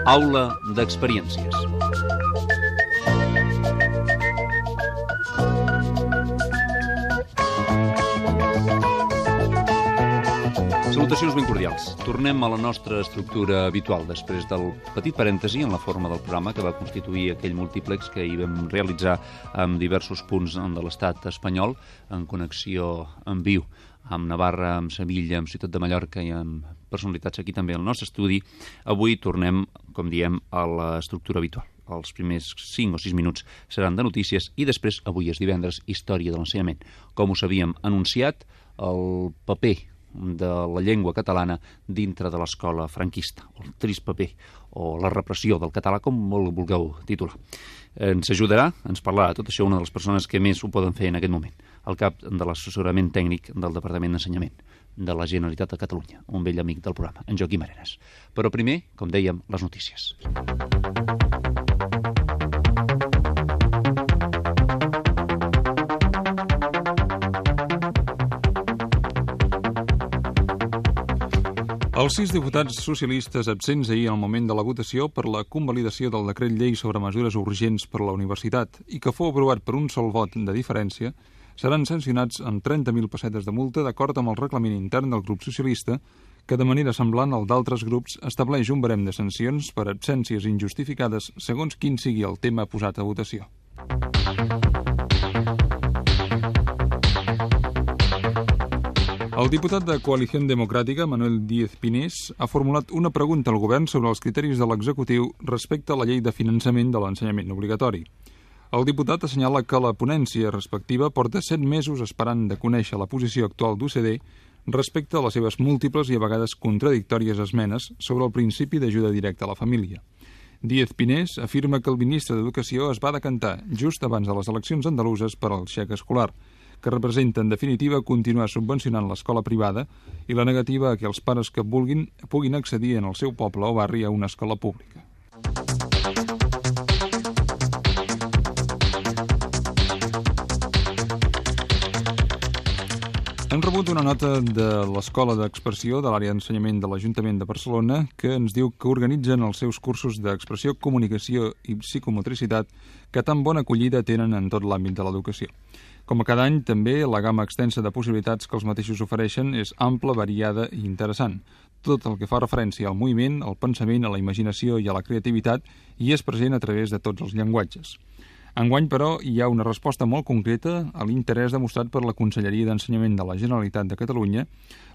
Aula d'experiències. Salutacions ben cordials. Tornem a la nostra estructura habitual després del petit parèntesi en la forma del programa que va constituir aquell múltiplex que hi vam realitzar en diversos punts de l'estat espanyol en connexió en viu amb Navarra, amb Sevilla, amb Ciutat de Mallorca i amb personalitats aquí també al nostre estudi. Avui tornem, com diem, a l'estructura habitual. Els primers 5 o 6 minuts seran de notícies i després, avui és divendres, història de l'ensenyament. Com us havíem anunciat, el paper de la llengua catalana dintre de l'escola franquista, el trist paper, o la repressió del català, com el vulgueu titular. Ens ajudarà, ens parlarà tot això una de les persones que més ho poden fer en aquest moment, el cap de l'assessorament tècnic del Departament d'Ensenyament de la Generalitat de Catalunya, un vell amic del programa, en Joaquim Arenas. Però primer, com dèiem, les notícies. Els 6 diputats socialistes absents ahir al moment de la votació per la convalidació del decret llei sobre mesures urgents per a la universitat i que fou aprovat per un sol vot de diferència, seran sancionats amb 30.000 pessetes de multa d'acord amb el reglament intern del grup socialista, que de manera semblant al d'altres grups estableix un barem de sancions per absències injustificades segons quin sigui el tema posat a votació. El diputat de Coalició Democràtica, Manuel Díez Pinés, ha formulat una pregunta al govern sobre els criteris de l'executiu respecte a la llei de finançament de l'ensenyament obligatori. El diputat assenyala que la ponència respectiva porta 7 mesos esperant de conèixer la posició actual d'UCD respecte a les seves múltiples i a vegades contradictòries esmenes sobre el principi d'ajuda directa a la família. Díez Pinés afirma que el ministre d'Educació es va decantar just abans de les eleccions andaluses per al xec escolar, que representa, en definitiva, continuar subvencionant l'escola privada i la negativa a que els pares que vulguin puguin accedir en el seu poble o barri a una escola pública. Hem rebut una nota de l'Escola d'Expressió de l'àrea d'ensenyament de l'Ajuntament de Barcelona que ens diu que organitzen els seus cursos d'expressió, comunicació i psicomotricitat que tan bona acollida tenen en tot l'àmbit de l'educació. Com a cada any, també, la gamma extensa de possibilitats que els mateixos ofereixen és ampla, variada i interessant. Tot el que fa referència al moviment, al pensament, a la imaginació i a la creativitat i és present a través de tots els llenguatges. Enguany, però, hi ha una resposta molt concreta a l'interès demostrat per la Conselleria d'Ensenyament de la Generalitat de Catalunya,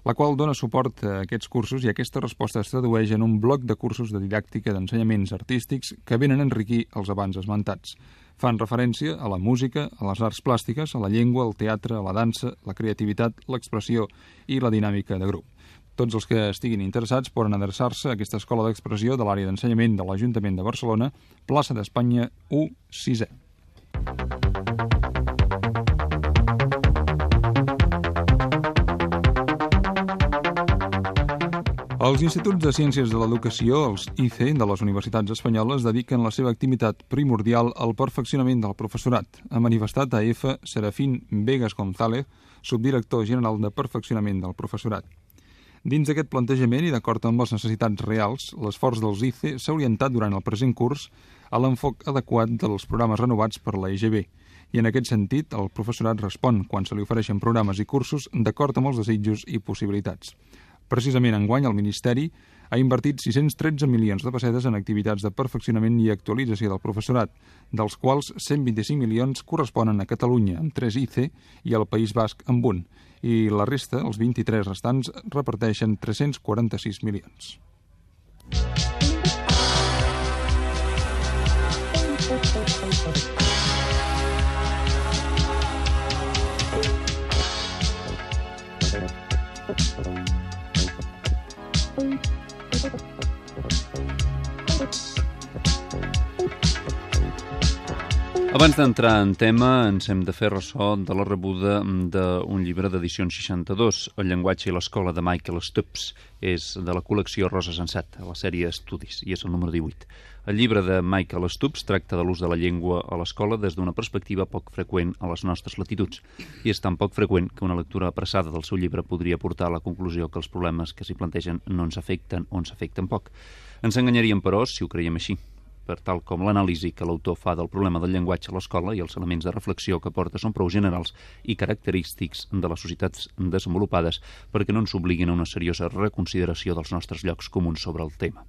la qual dona suport a aquests cursos i aquesta resposta es tradueix en un bloc de cursos de didàctica d'ensenyaments artístics que venen a enriquir els abans esmentats. Fan referència a la música, a les arts plàstiques, a la llengua, al teatre, a la dansa, la creativitat, l'expressió i la dinàmica de grup. Tots els que estiguin interessats poden adreçar-se a aquesta escola d'expressió de l'àrea d'ensenyament de l'Ajuntament de Barcelona, plaça d'Espanya 1-6è. Els Instituts de Ciències de l'Educació, els ICE, de les universitats espanyoles, dediquen la seva activitat primordial al perfeccionament del professorat, ha manifestat a EFA Serafín Vegas González, subdirector general de perfeccionament del professorat. Dins d'aquest plantejament i d'acord amb les necessitats reals, l'esforç dels ICE s'ha orientat durant el present curs a l'enfoc adequat dels programes renovats per la EGB, i en aquest sentit el professorat respon quan se li ofereixen programes i cursos d'acord amb els desitjos i possibilitats. Precisament enguany el Ministeri ha invertit 613 milions de pessetes en activitats de perfeccionament i actualització del professorat, dels quals 125 milions corresponen a Catalunya, amb 3 ICE, i al País Basc, amb 1, i la resta, els 23 restants, reparteixen 346 milions. Abans d'entrar en tema, ens hem de fer ressò de la rebuda d'un llibre d'edicions 62, El llenguatge i l'escola, de Michael Stubbs. És de la col·lecció Rosa Sensat, a la sèrie Estudis, i és el número 18. El llibre de Michael Stubbs tracta de l'ús de la llengua a l'escola des d'una perspectiva poc freqüent a les nostres latituds. I és tan poc freqüent que una lectura apressada del seu llibre podria portar a la conclusió que els problemes que s'hi plantegen no ens afecten o ens afecten poc. Ens enganyaríem, però, si ho creiem així, per tal com l'anàlisi que l'autor fa del problema del llenguatge a l'escola i els elements de reflexió que porta són prou generals i característics de les societats desenvolupades perquè no ens obliguin a una seriosa reconsideració dels nostres llocs comuns sobre el tema.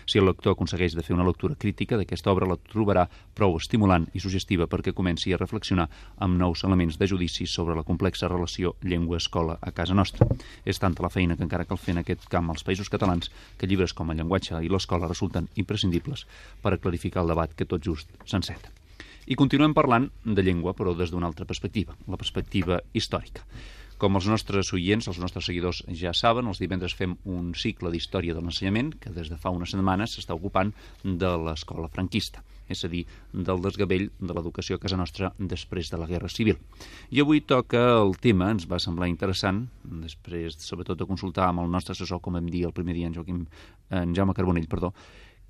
Si el lector aconsegueix de fer una lectura crítica d'aquesta obra, la trobarà prou estimulant i suggestiva perquè comenci a reflexionar amb nous elements de judici sobre la complexa relació llengua-escola a casa nostra. És tanta la feina que encara cal fer en aquest camp als Països Catalans que llibres com El llenguatge i l'escola resulten imprescindibles per a clarificar el debat que tot just s'enceta. I continuem parlant de llengua, però des d'una altra perspectiva, la perspectiva històrica. Com els nostres oients, els nostres seguidors ja saben, els divendres fem un cicle d'història de l'ensenyament que des de fa unes setmanes s'està ocupant de l'escola franquista, és a dir, del desgavell de l'educació a casa nostra després de la Guerra Civil. I avui toca el tema, ens va semblar interessant, després sobretot de consultar amb el nostre assessor, com vam dir el primer dia, en Jaume Carbonell,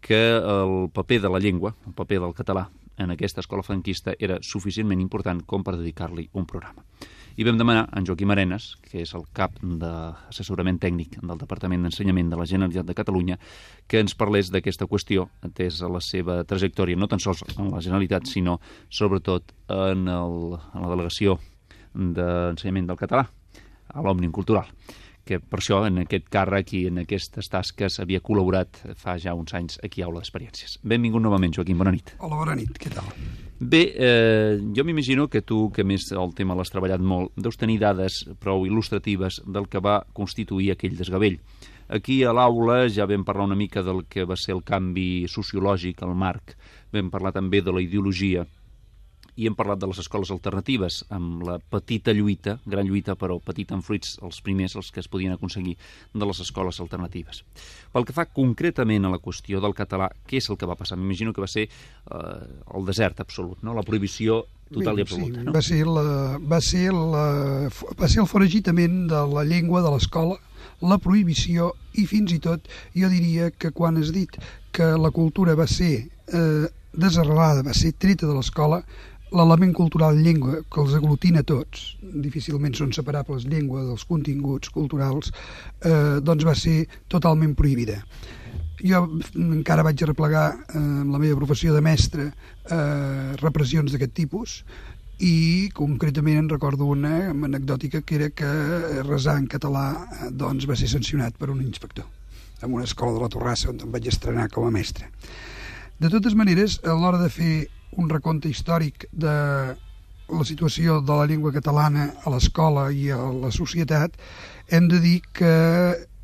que el paper de la llengua, el paper del català en aquesta escola franquista era suficientment important com per dedicar-li un programa. I vam demanar a en Joaquim Arenas, que és el cap d'assessorament tècnic del Departament d'Ensenyament de la Generalitat de Catalunya, que ens parlés d'aquesta qüestió, atès a la seva trajectòria, no tan sols en la Generalitat, sinó sobretot en la delegació d'ensenyament del català, a l'Òmnium Cultural, que per això en aquest càrrec i en aquestes tasques havia col·laborat fa ja uns anys aquí a Aula d'Experiències. Benvingut novament, Joaquim, bona nit. Hola, bona nit, què tal? Bé, jo m'imagino que tu, que més el tema l'has treballat molt, deus tenir dades prou il·lustratives del que va constituir aquell desgavell. Aquí a l'aula ja vam parlar una mica del que va ser el canvi sociològic, el marc, vam parlar també de la ideologia, i hem parlat de les escoles alternatives, amb la petita lluita, gran lluita, però petita en fruits, els primers, els que es podien aconseguir de les escoles alternatives. Pel que fa concretament a la qüestió del català, què és el que va passar? M'imagino que va ser el desert absolut, no? La prohibició total i absoluta. Sí, no? Va ser el foragitament de la llengua de l'escola, la prohibició i fins i tot, jo diria que quan has dit que la cultura va ser desarrelada, va ser treta de l'escola, l'element cultural llengua, que els aglutina tots, difícilment són separables llengua dels continguts culturals, doncs va ser totalment prohibida. Jo encara vaig arreplegar amb la meva professió de mestre repressions d'aquest tipus i concretament en recordo una anecdòtica que era que resar en català doncs va ser sancionat per un inspector en una escola de la Torrassa on em vaig estrenar com a mestre. De totes maneres, a l'hora de fer un recompte històric de la situació de la llengua catalana a l'escola i a la societat, hem de dir que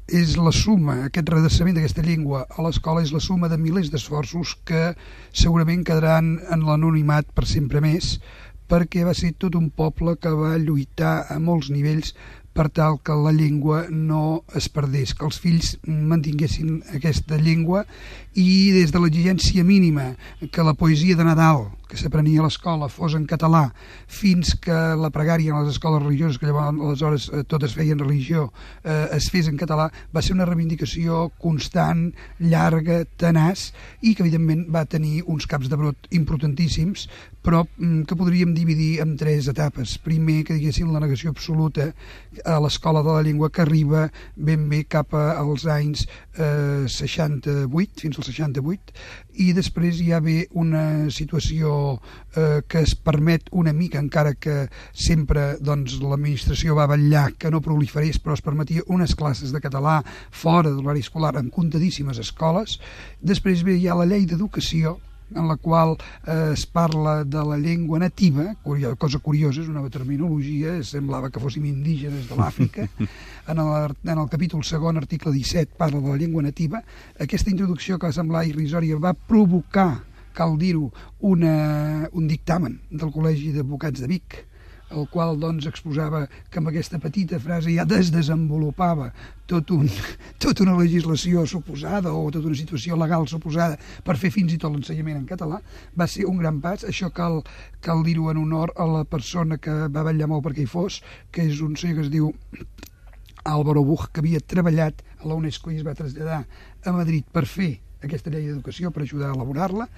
és la suma, aquest redreçament d'aquesta llengua a l'escola és la suma de milers d'esforços que segurament quedaran en l'anonimat per sempre més, perquè va ser tot un poble que va lluitar a molts nivells per tal que la llengua no es perdés, que els fills mantinguessin aquesta llengua i des de l'exigència mínima que la poesia de Nadal que s'aprenia a l'escola fos en català fins que la pregària en les escoles religioses, que llavors aleshores totes feien religió, es fes en català, va ser una reivindicació constant, llarga, tenaç i que evidentment va tenir uns caps de brot importantíssims, però que podríem dividir en tres etapes. Primer, que diguéssim la negació absoluta a l'escola de la llengua que arriba ben bé cap als anys 68, fins al 68, i després hi ha bé una situació que es permet una mica, encara que sempre doncs, l'administració va vetllar que no proliferés, però es permetia unes classes de català fora de l'horari escolar en comptadíssimes escoles. Després bé hi ha la llei d'educació, en la qual es parla de la llengua nativa, cosa curiosa, és una nova terminologia, semblava que fóssim indígenes de l'Àfrica. En el capítol segon, article 17, parla de la llengua nativa. Aquesta introducció que va semblar irrisòria va provocar, cal dir-ho, un dictamen del Col·legi d'Advocats de Vic, el qual doncs exposava que amb aquesta petita frase ja desenvolupava tota una legislació suposada o tota una situació legal suposada per fer fins i tot l'ensenyament en català. Va ser un gran pas. Això cal dir-ho en honor a la persona que va vetllar molt perquè hi fos, que és un senyor que es diu Álvaro Buch, que havia treballat a la UNESCO i es va traslladar a Madrid per fer aquesta llei d'educació, per ajudar a elaborar-la.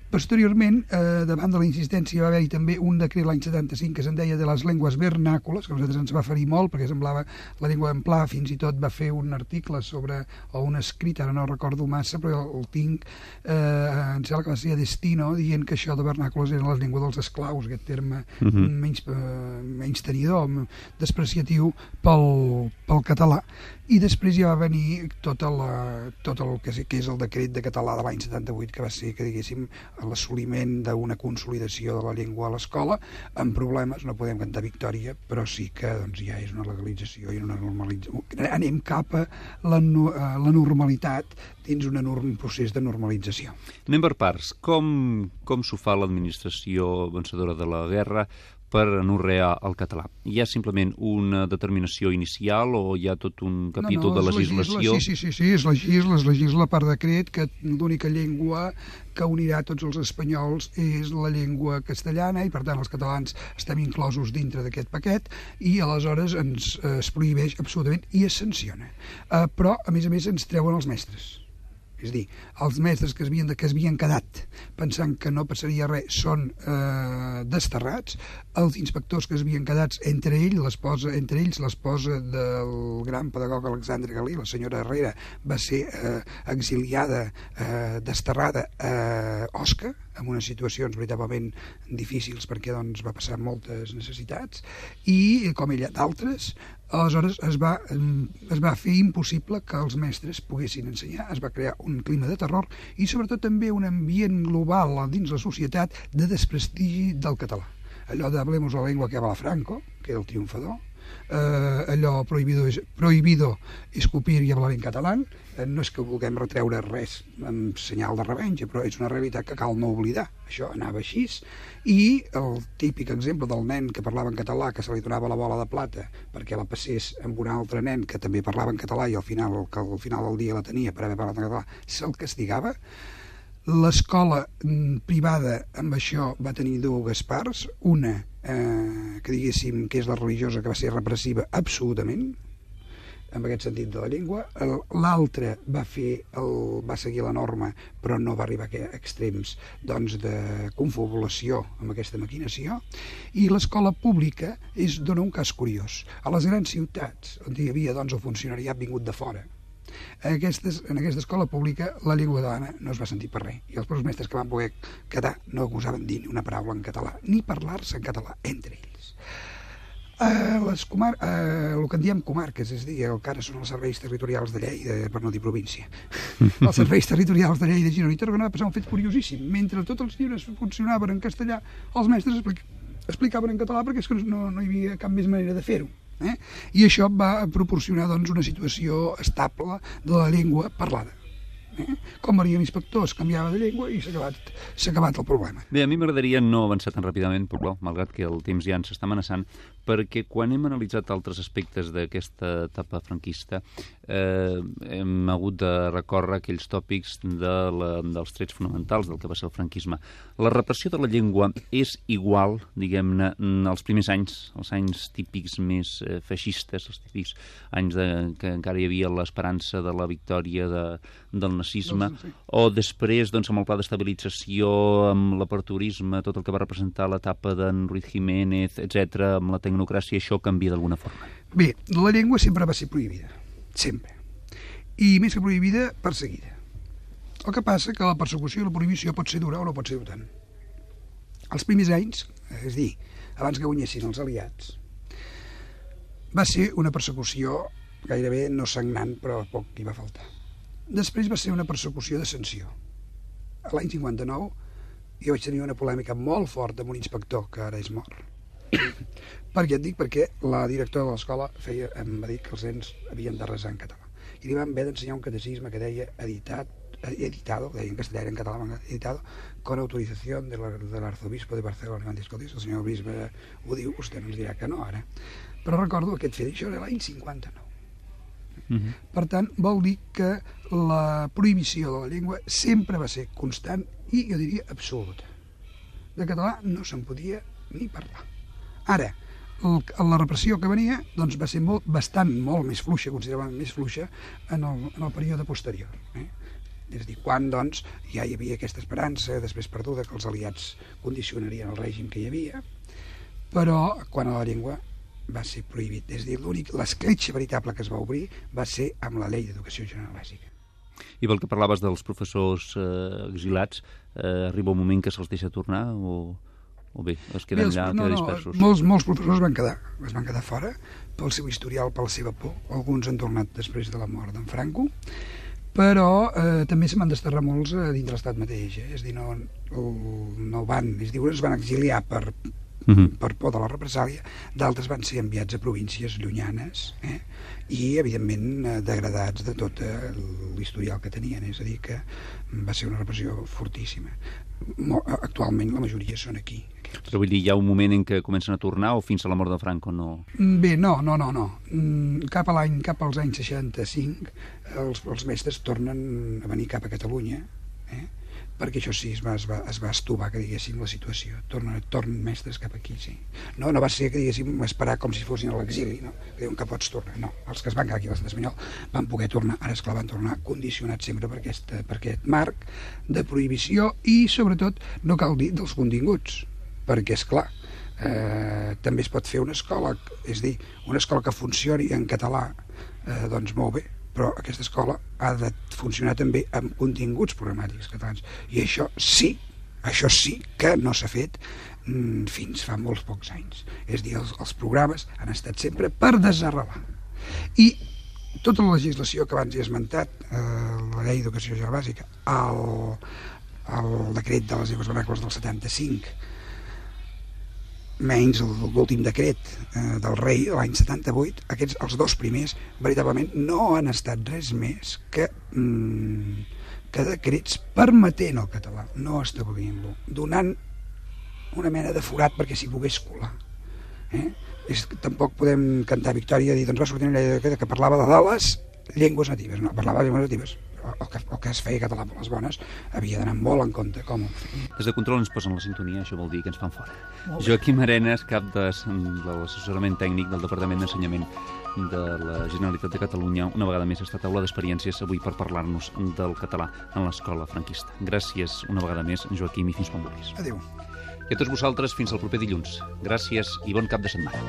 Posteriorment, davant de la insistència, va haver-hi també un decret l'any 75 que se'n deia de les llengües vernàcules, que a nosaltres ens va ferir molt perquè semblava la llengua en pla. Fins i tot va fer un article sobre, o un escrit, ara no recordo massa, però el tinc, em sembla que va ser a Destino, dient que això de vernàcules era la llengua dels esclaus, aquest terme menys tenidor, despreciatiu pel català. I després ja va venir tot el que és el decret de català de l'any 78, que va ser, que diguéssim, l'assoliment d'una consolidació de la llengua a l'escola, amb problemes. No podem cantar victòria, però sí que doncs, ja és una legalització i una normalització. Anem cap a la normalitat dins un enorme procés de normalització. Anem per parts. Com s'ho fa l'administració vencedora de la guerra per anorrear el català? Hi ha simplement una determinació inicial o hi ha tot un capítol de legislació? Sí, es legisla per decret que l'única llengua que unirà tots els espanyols és la llengua castellana i per tant els catalans estem inclosos dintre d'aquest paquet i aleshores es prohibeix absolutament i es sanciona. Però a més ens treuen els mestres. És a dir, els mestres que es havien quedat pensant que no passaria res són desterrats, els inspectors que es havien quedat, entre ells l'esposa del gran pedagog Alexandre Galí, la senyora Herrera, va ser exiliada, desterrada a Osca, en unes situacions veritablement difícils perquè doncs, va passar moltes necessitats i, com ella, d'altres. Aleshores es va fer impossible que els mestres poguessin ensenyar, es va crear un clima de terror i sobretot també un ambient global dins la societat de desprestigi del català. Allò de hablemos la lengua que habla Franco, que era el triomfador, allò prohibido escupir i hablar en català. No és que vulguem retreure res amb senyal de revenja, però és una realitat que cal no oblidar. Això anava així. I el típic exemple del nen que parlava en català, que se li donava la bola de plata perquè la passés amb un altre nen que també parlava en català i al final del dia la tenia per haver parlat en català, se'l castigava. L'escola privada amb això va tenir dues parts, una que diguéssim que és la religiosa, que va ser repressiva absolutament en aquest sentit de la llengua, l'altra va seguir la norma però no va arribar a extrems doncs, de confabulació amb aquesta maquinació. I l'escola pública dona un cas curiós. A les grans ciutats on hi havia doncs, el funcionariat vingut de fora, en aquesta escola pública la llengua catalana no es va sentir per res i els professors mestres que van poder quedar no gosaven dir ni una paraula en català ni parlar-se en català entre ells. El que en diem comarques, és a dir, el que ara són els serveis territorials de Lleida, per no dir província, els serveis territorials de Lleida, Girona i Tarragona, va passar un fet curiosíssim. Mentre tots els llibres funcionaven en castellà, els mestres explicaven en català perquè és que no hi havia cap més manera de fer-ho. I això va proporcionar doncs, una situació estable de la llengua parlada. Com veníem inspectors, canviava de llengua i s'ha acabat el problema. Bé, a mi m'agradaria no avançar tan ràpidament, però malgrat que el temps ja ens està amenaçant, perquè quan hem analitzat altres aspectes d'aquesta etapa franquista hem hagut de recórrer aquells tòpics dels trets fonamentals del que va ser el franquisme. La repressió de la llengua és igual, diguem-ne, als primers anys, els anys típics més feixistes, els típics anys que encara hi havia l'esperança de la victòria del nazisme, o després doncs, amb el pla d'estabilització, amb l'aperturisme, tot el que va representar l'etapa d'en Ruiz Jiménez, etc., amb la tecnocràcia, això canvia d'alguna forma? Bé, la llengua sempre va ser prohibida, sempre. I més que prohibida, perseguida. El que passa que la persecució i la prohibició pot ser dura o no pot ser tant. Els primers anys, és a dir, abans que guanyessin els aliats, va ser una persecució gairebé no sagnant, però poc hi va faltar. Després va ser una persecució de sanció. L'any 59 jo vaig tenir una polèmica molt forta amb un inspector que ara és mort. Per què et dic? Perquè la directora de l'escola em va dir que els nens havien de resar en català. I li van haver d'ensenyar un catecisme que deia editat editado, deia en castellà, en català, editado, con autorización del arzobispo de Barcelona. I van dir, escolti, el senyor bisbe ho diu, vostè no ens dirà que no, ara. Però recordo aquest fet, això era l'any 59. Per tant, vol dir que la prohibició de la llengua sempre va ser constant i, jo diria, absoluta. De català no se'n podia ni parlar. Ara, la repressió que venia doncs, va ser molt més fluixa, considerablement més fluixa, en el període posterior. És a dir, quan doncs, ja hi havia aquesta esperança, després perduda, que els aliats condicionarien el règim que hi havia, però quan a la llengua va ser prohibit. És a dir, l'escletxa veritable que es va obrir va ser amb la llei d'educació general bàsica. I pel que parlaves dels professors exilats, arriba un moment que se'ls deixa tornar o bé, es queden allà, queden dispersos? Molts professors es van quedar fora pel seu historial, per la seva por. Alguns han tornat després de la mort d'en Franco, però també se m'han desterrat molts dins l'estat mateix. És a dir, no van, es van exiliar per por de la represàlia, d'altres van ser enviats a províncies llunyanes i, evidentment, degradats de tot l'historial que tenien. És a dir, que va ser una repressió fortíssima. Actualment la majoria són aquí. Però vull dir, hi ha un moment en què comencen a tornar o fins a la mort de Franco no? Bé, no. Cap als anys 65 els mestres tornen a venir cap a Catalunya, perquè això sí, es va estovar, que diguéssim, la situació. Tornen mestres cap aquí, sí. No va ser, que diguéssim, esperar com si fossin a l'exili, no? Que diuen que pots tornar. No, els que es van quedar aquí a l'estat espanyol van poder tornar. Ara, esclar, van tornar condicionats sempre per aquest marc de prohibició i, sobretot, no cal dir dels continguts, perquè, esclar, també es pot fer una escola, és a dir, una escola que funcioni en català, doncs molt bé, però aquesta escola ha de funcionar també amb continguts programàtics catalans. I això sí que no s'ha fet fins fa molts pocs anys. És a dir, els programes han estat sempre per desarrelar. I tota la legislació que abans he esmentat, la llei d'educació general bàsica, el decret de les llengües vernacles del 75, menys l'últim decret del rei de l'any 78, els dos primers veritablement no han estat res més que decrets permetent el català, no establint-lo, donant una mena de forat perquè s'hi pogués colar. Tampoc podem cantar victòria i dir, doncs va sortir una llei que parlava de les llengües natives. No, parlava de llengües natives. El que es feia català per les bones havia d'anar molt en compte com ho feia. Des de control ens posen la sintonia, això vol dir que ens fan fora. Joaquim Arenas, cap de l'assessorament tècnic del Departament d'Ensenyament de la Generalitat de Catalunya, una vegada més ha estat taula d'experiències avui per parlar-nos del català en l'escola franquista. Gràcies una vegada més, Joaquim, i fins quan vulguis. Adéu. I a tots vosaltres, fins al proper dilluns. Gràcies i bon cap de setmana.